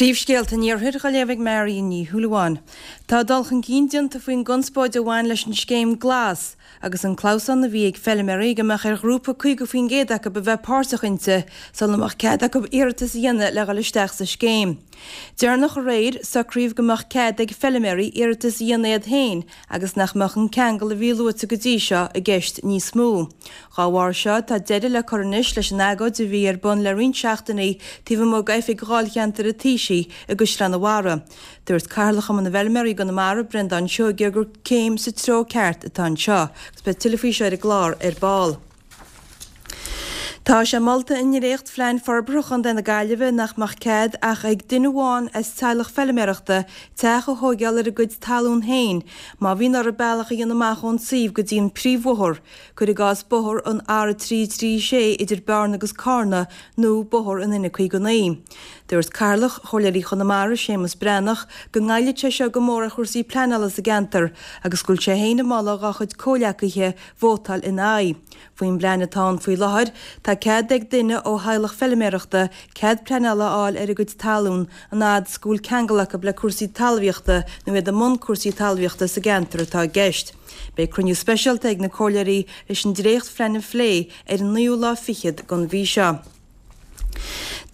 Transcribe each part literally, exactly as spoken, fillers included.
Príomhscéalta an Iarthair á léamh ag Marion Ní Shúilleabháin. Tá dul chun cinn déanta faoin gconspóid a bhain leis an scéim Glas agus an clamhsán a bhí ag feilméaraí go mbeadh ar ghrúpa caoga faoin gcéad acu a bheith páirteach inti sula mbeadh cead acu iarratas a dhéanamh le dhul isteach sa scéim. Deireanach aréir, socraíodh go mbeadh cead ag feilméaraí iarratas a dhéanamh iad féin agus nach mbeadh an ceangal a bhí luaite go dtí seo i gceist níos mó. Dá bharr seo, tá deireadh le cur anois leis an agóid a bhí ar bun le roinnt seachtainí taobh amuigh d'oifig dháilcheantair an Taoisigh i gCaisleán an Bharraigh. Dúirt Cathaoirleach Chumann na bhFeilméaraí i gConamara, Breandán Seoige, gur céim sa treo ceart atá anseo agus beidh tuilleadh faoi seo ar an gclár ar ball. Tá sé molta i ndréacht-phlean forbartha Chontae na Gaillimhe nach mbeadh cead ach ag duine amháin as teaghlach feilméarachta teach a thóigeáil ar a gcuid talún féin má bhíonn orthu bealach a dhéanamh amach ón suíomh go dtí an príomhbhóthar, cuir i gcás bóthar an R a trí trí sé idir Bearna agus Carna nó bóthar an N caoga naoi. Dúirt Cathaoirleach Chomhairleoirí Chonamara, Séamus Breathnach, go ngoillfidh sé seo go mór ar chúrsaí pleanála sa gceantar agus go bhfuil sé féin ag moladh dá chuid comhghleacaithe vótáil ina aghaidh. Faoin bplean atá ann faoi láthair, tá cead ag duine ó theaghlach feilméarachta cead pleanála a fháil ar a gcuid talún an fhad is go bhfuil ceangal acu le cúrsaí talmhaíochta nó iad i mbun cúrsaí talmhaíochta sa gceantar atá i gceist. Beidh cruinniú speisialta ag na comhairleoirí leis an dréachtphlean a phlé ar an naoú lá fichead den mhí seo.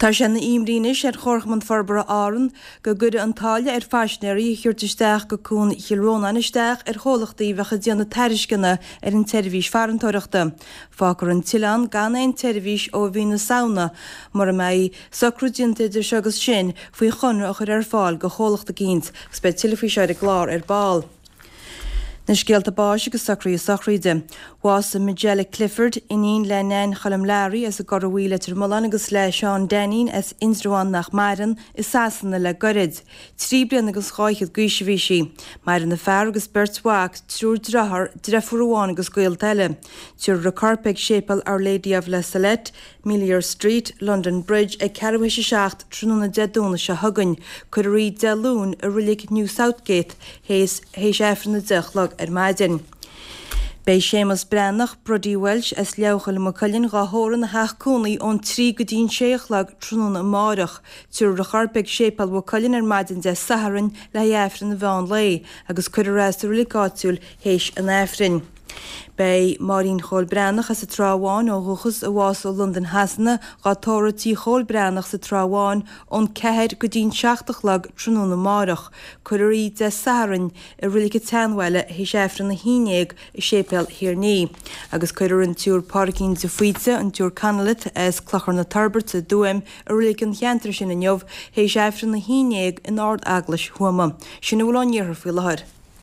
Tá sé ina imní anois ar Chomharchumann Forbartha Árann go gcuirfidh an táille ar phaisinéirí a thabhairt isteach go Cuan Chill Rónáin isteach ar chomhlachtaí a bheadh ag déanamh tairisceana ar an tseirbhís farantóireachta. Fágfar an t-oileán gan aon tseirbhís ó mhí na Samhna mura mbeidh socrú déanta idir seo agus sin faoi chonradh a chur ar fáil do chomhlacht eicínt agus beidh tuilleadh faoi seo ar an gclár ar ball. Na scéalta báis agus socruithe sochraide. Bhásaigh Majella Clifford, iníon le Nan Choilm Learaí as an gCora Bhuí Leitir Mealláin agus le Seán Dainín as Indreabhán nach maireann, i Sasana le goirid. Trí bliana agus dhá fhichead d'aois a bhí sí. Maireann a fear agus beirt mhac, triúr dearthár, deirfiúr amháin agus gaolta eile. Tabharfar a corp ag Séipéal Our Lady of La Salette, Melior Street, London Bridge ag ceathrú théis a seacht tráthnóna Dé Domhnaigh seo chugainn. Cuirfear í Dé Luain i Reilig New Southgate théis Aifreann a deich a chlog ar maidin. Beidh Séamus Breathnach, Brodie Walsh as Leabhchoill Maigh Cuilinn dhá thórramh ina theach cónaí ón trí go dtí an sé a chlog tráthnóna amáireach. Tabharfar a chorp ag Séipéal Mhaigh Cuilinn ar maidin Dé Sathairn le haghaidh Aifreann an mheán lae agus cuirfear é sa reilig áitiúil théis an Aifrinn. Beidh Máirín Chóil Breathnach as an Trá Bháin ó dhúchas, a bhásaigh i Londain Shasana, dhá tórramh tí Chóil Breathnach sa Trá Bháin ón ceathair go dtí'n seacht a chlog tráthnóna amáireach. Cuirfear í Dé Sathairn i Reilig an tSeanbhaile théis Aifreann a haon déag i Séipéal Thír an Fhia. Agus cuirfear an tSiúr Pádraigín de Faoite, an tSiúr Connolly as Clochar na Toirbhirte i dTuaim i reilig an cheantair sin inniu théis Aifreann a haon déag in Ard-Eaglais Thuama. Sin a bhfuil ón iarthar faoi láthair.